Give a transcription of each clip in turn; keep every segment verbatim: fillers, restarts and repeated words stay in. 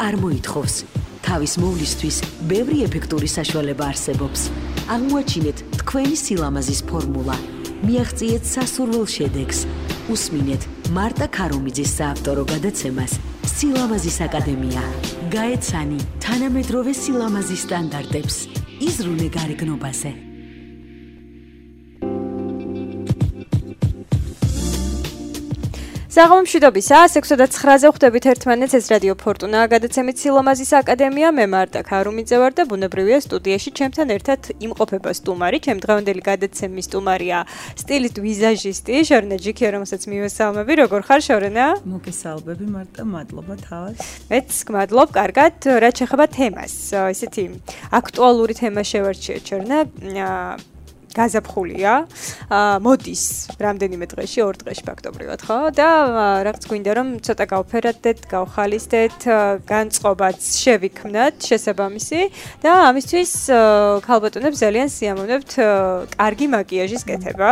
არ მოითხოვს. თავის მოვლისთვის ბევრი ეფექტური საშუალება არსებობს. აღმოაჩინეთ თქვენი სილამაზის ფორმულა. მიაღწიეთ სასურველ შედეგს. უსმინეთ მარტა ქარუმიძის საავტორო გადაცემას სილამაზის აკადემია. გაეცანი თანამედროვე სილამაზის სტანდარტებს. იზრუნე გარეგნობაზე. საღამომშვიდობისა, ექვსი და ცხრაზე ხვდებით ერთმანეთს, ეს რადიო ფორტუნა, გადაცემით სილამაზის აკადემია, მე მარტა ქარუმიძე ვარ და ბუნებრივია სტუდიაში ჩემთან ერთად იმყოფება სტუმარი, ჩემ დღევანდელი გადაცემის სტუმარია სტილისტ ვიზაჟისტი შორენა ჯიქია, რომელსაც მივესალმები, როგორ ხარ შორენა? მოგესალმები მარტა, მადლობა თავად. მეც გმადლობ, კარგად, რაც შეეხება თემას, ესეთი აქტუალური თემა შევარჩიეთ შორენა. გაზაფხულია, მოდის რამდენიმე დღეში, ორ დღეში ფაქტობრივად, ხო? და რაღაც გვინდა რომ ცოტა გავფერადდეთ, გავხალისდეთ, განწყობაც შევიქმნათ შესაბამისი და ამისთვის ქალბატონებს ძალიან სიამოვნებთ კარგი მაკიაჟის კეთება.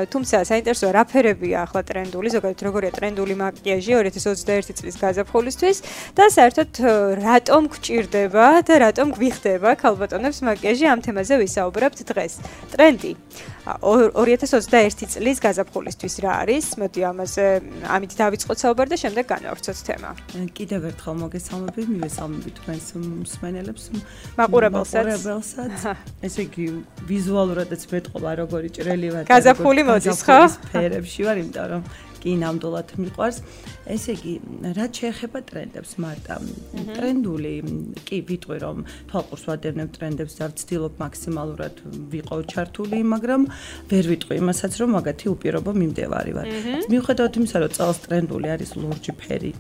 თუმცა საინტერესოა რა ფერებია ახლა ტრენდული, ზოგადად როგორია ტრენდული მაკიაჟი ორი ათას ოცდაერთი წლის გაზაფხულისთვის და საერთოდ რატომ გვჭირდება და რატომ გვიხდება ქალბატონებს მაკიაჟი, ამ თემაზე ვისაუბრებთ დღეს. ტრენდი ორი ათას ოცდაერთი წლის გაზაფხულისთვის რა არის? მოდი ამაზე ამით დავიწყოთ საუბარი და შემდეგ განვავრცოთ თემა. კიდევ ერთხელ მოგესალმები, მივესალმები თქვენს მსმენელებს, მაყურებელსაც. ესე იგი ვიზუალურადაც მეტყობა როგორი ჭრელი ვარ. გაზაფხული მოდის, ხო? ფერებში ვარ, იმიტომ რომ კი ნამდვილად მიყვარს. ესე იგი, რაც შეეხება ტრენდებს, მარტა, ტრენდული, კი ვიტყვი რომ თვალყურს ვადევნებ ტრენდებს და ვცდილობ მაქსიმალურად ვიყო ჩართული, მაგრამ ვერ ვიტყვი იმასაც, რომ მაგათი უპირობო მიმდევარი ვარ. მიუხედავად იმისა, რომ წელს ტრენდული არის ლურჯი ფერი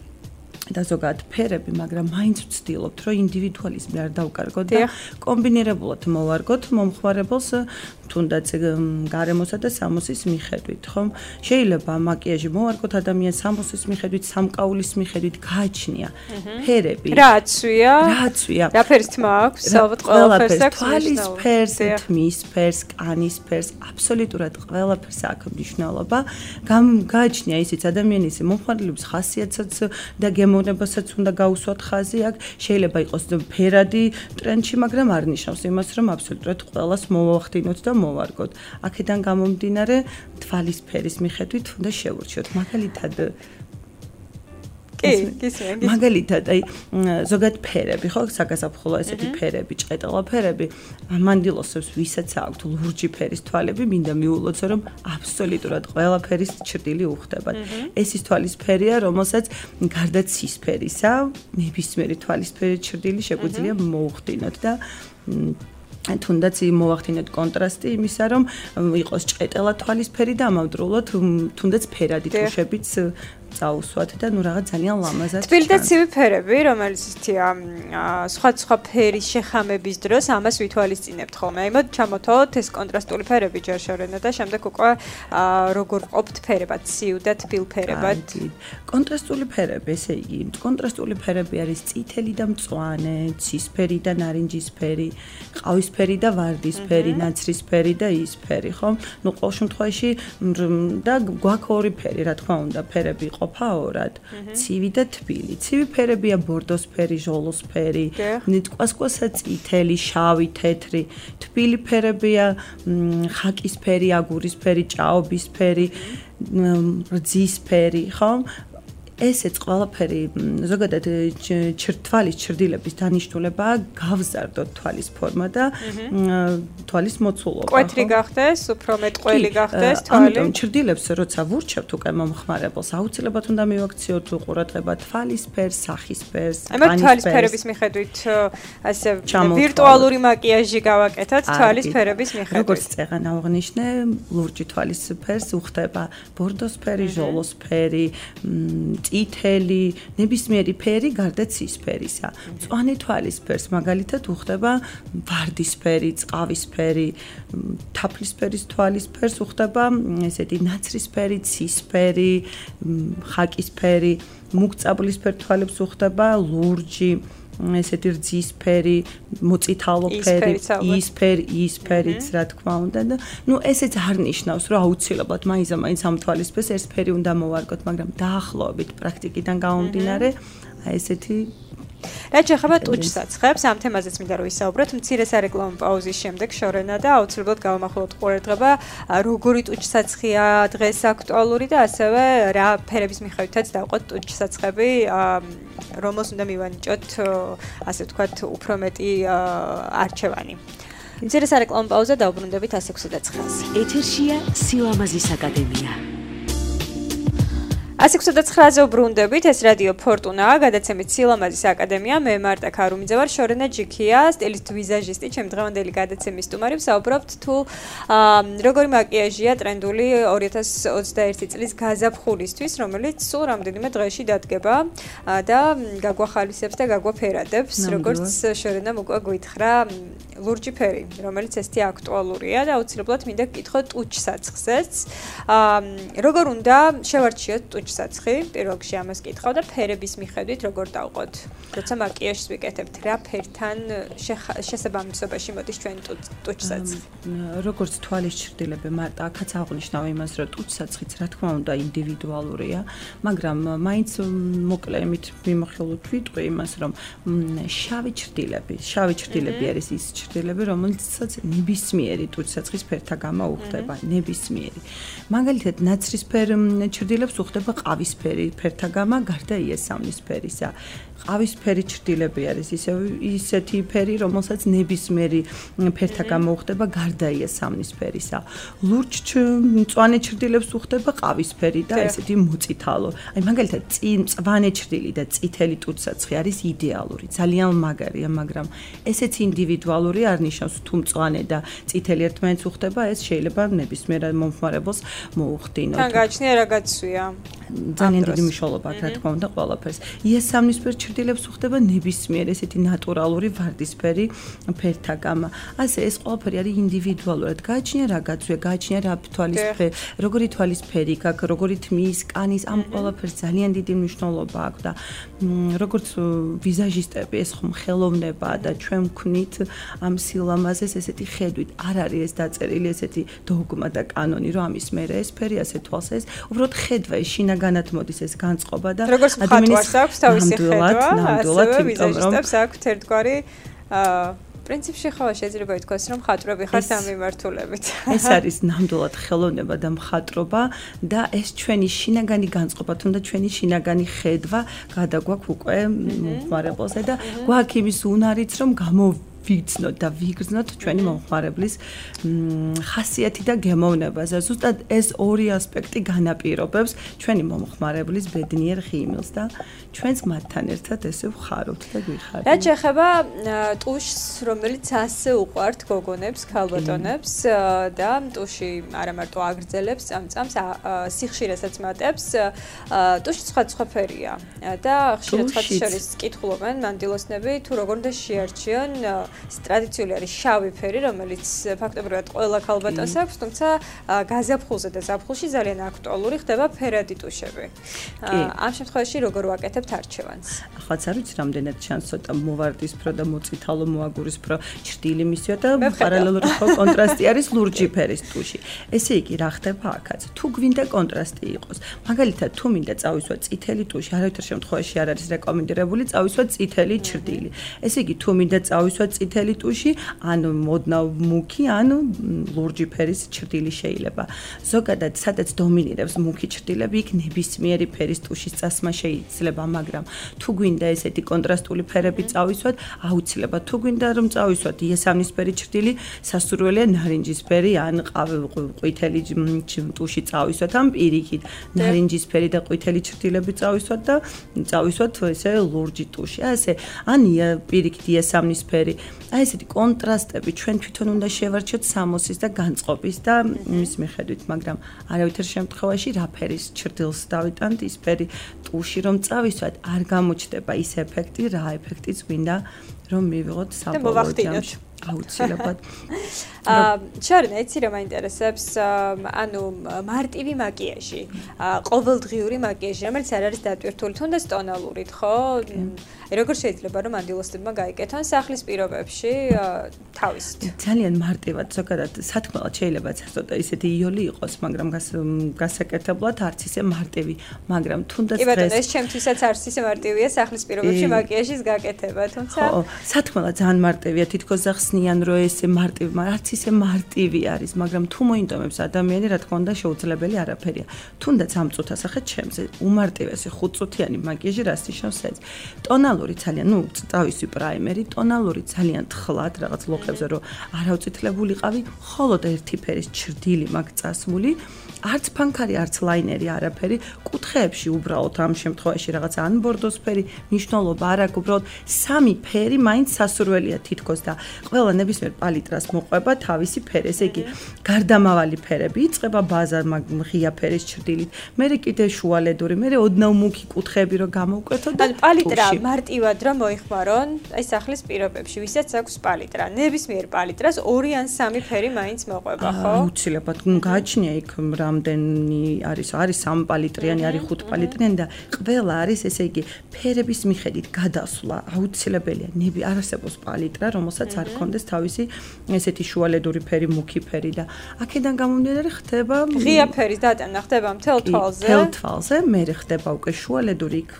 და ზოგადად ფერები, მაგრამ მაინც ვცდილობთ, რომ ინდივიდუალიზმი არ დავკარგოთ და კომბინირებულად მოვარგოთ მომხმარებელს თუნდაც გარემოსა და სამოსის მიხედვით, ხომ? შეიძლება მაკიაჟი მოვარგოთ ადამიანს სამოსის მიხედვით, სამკაულის მიხედვით, გააჩნია ფერები. რა აცვია? რა აცვია? რა ფერის თმა აქვს? ალბათ ყველაფერს აქვს. თვალის ფერს, თმის ფერს, კანის ფერს, აბსოლუტურად ყველაფერს აქვს მნიშვნელობა. გააჩნია ისიც ადამიანის მომხმარებლების ხასიათსაც და გემოვნებასაც უნდა გაუსვათ ხაზი აქ. შეიძლება იყოს ფერადი ტრენდში, მაგრამ არ ნიშნავს იმას, რომ აბსოლუტურად ყველას მოვახდინოთ და მოვარგოთ. აქედან გამომდინარე თვალის ფერის მიხედვით უნდა შევურჩიოთ. მაგალითად კი, გისმენთ. მაგალითად, აი ზოგადად ფერები, ხო, საგაზაფხულო ესეთი ფერები, ჭყეტელა ფერები, მანდილოსებს ვისაც აქვთ ლურჯი ფერის თვალები, მინდა მიულოცო, რომ აბსოლუტურად ყველა ფერის ჭრილი უხდებათ. ეს ის თვალის ფერია, რომელსაც გარდა ცისფერისა, ნებისმიერი თვალის ფერი ჭრილი შეგვიძლია მოუხდინოთ და თუნდაც მოვახდინოთ კონტრასტი იმისა, რომ იყოს ჭყეტელა თვალისფერი და ამავდროულად თუნდაც ფერადი თუშებიც წაუსვათ და ნუ რაღაც ძალიან ლამაზად. თბილი და ცივი ფერები, რომელიც ისეთია სხვა სხვა ფერის შეხამების დროს ამას ვითვალისწინებთ ხოლმე. აი მოდ ჩამოთვალოთ ეს კონტრასტული ფერები ჯერ შორენა და შემდეგ უკვე როგორ ყოფთ ფერებად, ცივ და თბილ ფერებად. კონტრასტული ფერები, ესე იგი, კონტრასტული ფერები არის წითელი და მწვანე, ცისფერი და ნარინჯისფერი, ყავისფერი და ვარდისფერი, ნაცრისფერი და ისფერი, ხო? ნუ ყოველ შემთხვევაში და გვაქვს ორი ფერი, რა თქმა უნდა, ფერები ყოფა ორად, ცივი და თბილი. ცივი ფერებია ბორდოსფერი, ჟოლოსფერი, ნიტყვასკვასა წითელი, შავი, თეთრი. თბილი ფერებია ხაკისფერი, აგურისფერი, ჭაობისფერი, რძისფერი, ხო? ესეც ყველაფერი ზოგადად თვალის ჩრდილების დანიშნულებაა გავზარდოთ თვალის ფორმა და თვალის მოცულობა. კვეთრი გახდეს, უფრო მეტყველი გახდეს თვალი. ამიტომ ჩრდილებს როცა ვურჩევთ უკვე მომხმარებელს, აუცილებლად უნდა მივაქციოთ ყურადღება თვალის ფერს, სახის ფერს, კანის ფერს. აი თვალის ფერების მიხედვით ასე ვირტუალური მაკიაჟი გავაკეთოთ თვალის ფერების მიხედვით. როგორც წეღან აღნიშნე, ლურჯი თვალის ფერს უხდება ბორდოსფერი, ჟოლოსფერი, წითელი, ნებისმიერი ფერი გარდა ცისფერისა. მწვანე თვალის ფერს მაგალითად უხდება ვარდისფერი, წყავისფერი, თაფლისფერის თვალის ფერს უხდება ესეთი ნაცრისფერი, ცისფერი, ხაკისფერი, მუქწაბლისფერ თვალებს უხდება ლურჯი, ესეთი რძისფერი, მოწითალო ფერი, ისფერი, ისფერიც რა თქმა უნდა და ნუ ესეც არ ნიშნავს რომ აუცილებლად მაინც მაინც ამ თვალისფერს ეს ფერი უნდა მოვარგოთ, მაგრამ დაახლოებით პრაქტიკიდან გამომდინარე აი ესეთი რაც შეეხება ტუჩსაცხებს, ამ თემაზეც მინდა რომ ვისაუბროთ. მცირე სარეკლამო პაუზის შემდეგ შორენა და აუცილებლად გავამახვილოთ ყურადღება, როგორი ტუჩსაცხია დღეს აქტუალური და ასევე რა ფერების მიხედვითაც დავყოთ ტუჩსაცხები, რომელს უნდა მივანიჭოთ, ასე ვთქვათ, უფრო მეტი არჩევანი. მცირე სარეკლამო პაუზა დავბრუნდებით ას ექვსი ცხრაზე. ეთერშია სილამაზის აკადემია. ას ექვსი ცხრაზე ვბრუნდებით, ეს რადიო ფორტუნაა, გადაცემით სილამაზის აკადემია, მე მარტა ქარუმიძე ვარ, შორენა ჯიქია, სტილისტ ვიზაჟისტი, ჩემი დღევანდელი გადაცემის სტუმარი, ვსაუბრობთ თუ როგორი მაკიაჟია ტრენდული ორი ათას ოცდაერთი წლის გაზაფხულისთვის, რომელიც სულ რამდენიმე დღეში დადგება და გაგვახალისებს და გაგვაფერადებს, როგორც შორენამ უკვე გვითხრა ლურჯი ფერი, რომელიც ესეთი აქტუალურია და აუცილებლად მინდა გკითხოთ ტუჩსაცხზეც. როგორ უნდა შევარჩიოთ ტუჩსაცხი? პირველ რიგში ამას კითხავ და ფერების მიხედვით როგორ დავყოთ? როცა მაკიაჟს ვიკეთებთ, რა ფერთან შესაბამისობაში მოდის ჩვენი ტუჩსაცხი? როგორც თვალის ჩრდილები, მარტო აქაც აღნიშნავ იმას, რომ ტუჩსაცხიც რა თქმა უნდა ინდივიდუალურია, მაგრამ მაინც მოკლედ მიმოხილოთ ვიტყვი იმას, რომ შავი ჩრდილები, შავი ჩრდილები არის ის ჩრდილები, რომელიცაც ნებისმიერი ტუჩსაცხის ფერთა გამა უხდება, ნებისმიერი. მაგალითად, ნაცრისფერ ჩრდილებს უხდება ყავისფერი ფერთა გამა, გარდა იესამნისფერისა. ყავისფერი ჩრდილები არის ისე ისეთი ფერი, რომელსაც ნებისმიერი ფერთა გამა უხდება, გარდა იესამნისფერისა. ლურჯ მწვანე ჩრდილებს უხდება ყავისფერი და ესეთი მოწითალო. აი მაგალითად, მწვანე ჩრდილი და წითელი ტუჩსაცხი არის იდეალური, ძალიან მაგარია, მაგრამ ესეც ინდივიდუალური არ ნიშნავს, თუ მწვანე და წითელი ერთმანეთს უხდება, ეს შეიძლება ნებისმიერ მომხმარებელს მოუხდინოთ. თან გააჩნია რა გაცვია? ძალიან დიდი მნიშვნელობა აქვს, რა თქმა უნდა, ყველაფერს. იესამნისფერ ჩრდილებს უხდება ნებისმიერ ესეთი ნატურალური ვარდისფერი ფერთა გამა. ასე ეს ყველაფერი არის ინდივიდუალურად. გააჩნია რა გაცვია, გააჩნია რა თვალის როგორი თვალის ფერი გაქვს, როგორი თმის, კანის, ამ ყველაფერს ძალიან დიდი მნიშვნელობა აქვს და როგორც ვიზაჟისტები ეს ხომ ხელოვნებაა და ჩვენ ვქნით ამ სილამაზეს ესეთი ხედვით. არ არის ეს დაწერილი ესეთი დოგმა და კანონი, რომ ამის მერე ეს ფერი ასე თვალს ეს, უბრალოდ ხედვა ის შინაგანად მოდის ეს განწყობა და ადამიანის აქვს თავისი ხედვა, ნამდვილად, ასევე ვიზაჟისტებს აქვს ერთგვარი პრინციპში ხავა შეიძლება ითქვას, რომ მხატვრები ხართ ამ მიმართულებით. ეს არის ნამდვილად ხელოვნება და მხატვრობა და ეს ჩვენი შინაგანი განწყობა, თუნდაც ჩვენი შინაგანი ხედვა გადაგვაქვს უკვე მომხმარებელს და გვაქვს იმის უნარიც, რომ გამო ვიგრძნოთ და ვიგრძნოთ ჩვენი მომხმარებლის ხასიათი და გემოვნებაზე. ზუსტად ეს ორი ასპექტი განაპირობებს ჩვენი მომხმარებლის ბედნიერ ღიმილს და ჩვენც მათთან ერთად ესე ვხარობთ და გვიხარით. რაც შეეხება ტუშს, რომელიც ასე უყვართ გოგონებს, ქალბატონებს და ტუში არა მარტო აგრძელებს წამწამს, სიხშირესაც მატებს, ტუში სხვა სხვა ფერია და ხშირად სხვა შორის კითხულობენ მანდილოსნები თუ როგორ უნდა შეარჩიონ ტრადიციული არის შავი ფერი, რომელიც ფაქტობრივად ყველა ქალბატონს აქვს, თუმცა გაზაფხულზე და ზაფხულში ძალიან აქტუალური ხდება ფერადი ტუშები. ამ შემთხვევაში როგორ ვაკეთებთ არჩევანს? ახაც არ ვიცი, რამდენად ჩანს ცოტა მოვარდისფრო და მოწითალო მოაგურისფრო ჩრდილი მისია და პარალელური ხო კონტრასტი არის ლურჯი ფერის ტუში. ესე იგი, რა ხდება აქაც? თუ გვინდა კონტრასტი იყოს, მაგალითად, თუ მინდა წავისვა წითელი ტუში, არავითარ შემთხვევაში არ არის რეკომენდირებული წავისვა წითელი ჩრდილი. ესე იგი, თუ მინდა წავისვა წითელი ტუში, ანუ მოდნავ მუქი, ანუ ლურჯი ფერის ჩრდილი შეიძლება. ზოგადად, სადაც დომინირებს მუქი ჩრდილები, იქ ნებისმიერი ფერის ტუშის წასმა შეიძლება, მაგრამ თუ გვინდა ესეთი კონტრასტული ფერები წავისვათ, აუცილებლად თუ გვინდა რომ წავისვათ იესამნისფერი ჩრდილი, სასურველია ნარინჯისფერი ან ყვითელი ტუში წავისვათ, ან პირიქით ნარინჯისფერი და ყვითელი ჩრდილები წავისვათ და წავისვათ ესე ლურჯი ტუში. ასე ან პირიქით იესამნისფერი. აი ესეთი კონტრასტები ჩვენ თვითონ უნდა შევარჩიოთ სამოსის და განწყობის და მის მიხედვით, მაგრამ არავითარ შემთხვევაში რა ფერის ჩრდილს დავიტანთ, ის ფერი ტუში რომ წავისვათ, არ გამოჩნდება ის ეფექტი, რა ეფექტიც გვინდა რომ მივიღოთ საბოლოო ჯამში. აუცილებლად. აა შარნა, იცი რა მაინტერესებს, ანუ მარტივი მაკიაჟი, ყოველდღიური მაკიაჟი, რომელიც არ არის დატვირთული, თუნდაც ტონალურით, ხო? როგორ შეიძლება რომ ანდილოსებმა გაიკეთონ სახლის პირობებში თავისით? ძალიან მარტივად, ზოგადად სათქმელად შეიძლება ცოტა ისეთი იოლი იყოს, მაგრამ გასაკეთებლად არც ისე მარტივი, მაგრამ თუნდაც დღეს კი ბატონო, ეს ჩემთვისაც არც ისე მარტივია სახლის პირობებში მაკიაჟის გაკეთება, თუმცა ხო, სათქმელად ძალიან მარტივია, თითქოს ახსნიან რომ ესე მარტივი, მაგრამ არც ისე მარტივი არის, მაგრამ თუ მოინდომებს ადამიანი, რა თქმა უნდა, შეუძლებელი არაფერია. თუნდაც ამ წუთას ახლა ჩემზე უმარტივესი ხუთწუთიანი მაკიაჟი რას ნიშნავს ეს? ტონალური ძალიან, ну, თავისი პრაიმერი, ტონალური ძალიან თხლად, რაღაც ლოხებზე რომ არავწითლებულიყავი, მხოლოდ ერთი ფერის ჩრდილი მაქვს წასმული. არც ფანქარი, არც ლაინერი არაფერი, კუთხეებში უბრალოდ ამ შემთხვევაში რაღაც ან ბორდოსფერი, მნიშვნელობა არ აქვს, უბრალოდ სამი ფერი მაინც სასურველია თითქოს და ყველა ნებისმიერ პალიტრას მოყვება თავისი ფერი, ესე იგი გარდამავალი ფერები იწყება ბაზა ღია ფერის ჩრდილით, მერე კიდე შუალედური, მერე ოდნავ მუქი კუთხეები რომ გამოვკვეთოთ და პალიტრა მარტივად რომ მოიხმარონ, აი სახლის პირობებში, ვისაც აქვს პალიტრა, ნებისმიერ პალიტრას ორი ან სამი ფერი მაინც მოყვება, ხო? აუცილებლად, გააჩნია იქ რამდენი არის, არის სამი პალიტრიანი, არის ხუთი პალიტრიანი და ყველა არის, ესე იგი, ფერების მიხედვით გადასვლა აუცილებელია. ნები არ არსებობს პალიტრა, რომელსაც არ ქონდეს თავისი ესეთი შუალედური ფერი, მუქი ფერი და აქედან გამომდინარე ხდება ღია ფერის დატანა ხდება მთელ თვალზე. მთელ თვალზე, მერე ხდება უკვე შუალედური იქ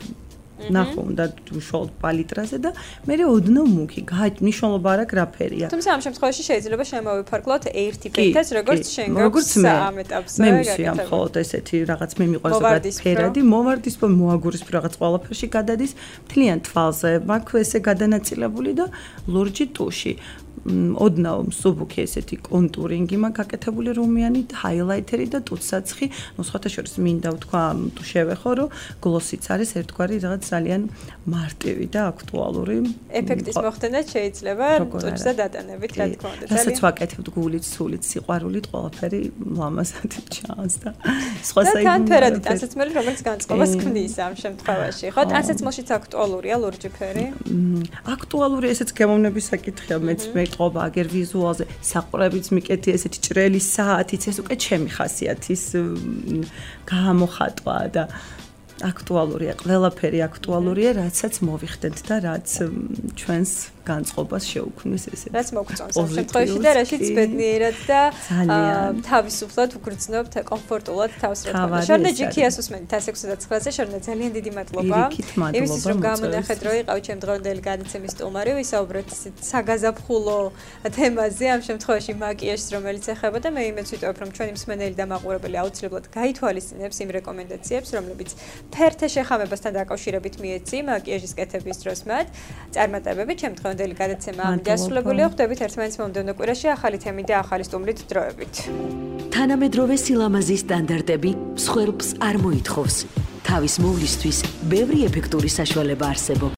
ნახო უნდა უშუალოდ პალიტრაზე და მერე ოდნავ მუქი. მნიშვნელობა არ აქვს რა ფერია. თუმცა ამ შემთხვევაში შეიძლება შემოვიფარგლოთ ერთი ფერითაც, როგორც შენ გაქვს ამ ეტაპზე. მე მისია მხოლოდ ესეთი რაღაც მე მიყვარს ზოგადად ფერადი, მოვარდისფრო, მოაგურისფრო რაღაც ყველაფერში გადადის, მთლიან თვალზე მაქვს ესე გადანაწილებული და ლურჯი ტუში. ოდნავ მსუბუქი ესეთი კონტურინგი მაქვს გაკეთებული რომიანი, ჰაილაითერი და ტუცსაცხი. ნუ სხვათა შორის მინდა ვთქვა, თუ შევეხო, რომ გლოსიც არის ერთგვარი რაღაც ძალიან მარტივი და აქტუალური. ეფექტის მოხდენაც შეიძლება ტუჩზე დატანებით, რა თქმა უნდა. რასაც ვაკეთებ გულით, სულით, სიყვარულით, ყველაფერი ლამაზად ჩანს და სხვა საერთოდ. თან ფერადი ტანსაცმელი, რომელიც განწყობას ქმნის ამ შემთხვევაში, ხო? ტანსაცმელშიც აქტუალურია ლურჯი ფერი? აქტუალური ესეც გემოვნების საკითხია, მეც მე ყობა აგერ ვიზუალზე საყურებიც მიკეთი ესეთი ჭრელი საათიც ეს უკვე ჩემი ხასიათის გამოხატვა და აქტუალურია, ყველაფერი აქტუალურია, რაცაც მოვიხდეთ და რაც ჩვენს განწყობას შეუქმნის ესეთი. რაც მოგწონს ამ შემთხვევაში და რაშიც ბედნიერად და თავისუფლად უგრძნობთ კომფორტულად თავს რა თქმა უნდა. შორნა ჯიქიას უსმენთ ათს ოცდაათზე, შორნა ძალიან დიდი მადლობა. იმისთვის რომ გამონახეთ რომ იყავით ჩემ დღევანდელი გადაცემის სტუმარი, ვისაუბრეთ საგაზაფხულო თემაზე, ამ შემთხვევაში მაკიაჟს, რომელიც ეხება და მე იმედს ვიტოვებ რომ ჩვენი მსმენელი და მაყურებელი აუცილებლად გაითვალისწინებს იმ რეკომენდაციებს, რომლებიც ფერთა შეხამებასთან დაკავშირებით მიეცი მაკიაჟის კეთების დროს მათ. წარმატებები ჩემ დღევანდელი გადაცემა ამ დასრულებულია. ხვდებით ერთმანეთს მომდევნო კვირაში ახალი თემით და ახალი სტუმრით დროებით. თანამედროვე სილამაზის სტანდარტები მსხვერპლს არ მოითხოვს. თავის მოვლისთვის ბევრი ეფექტური საშუალება არსებობს.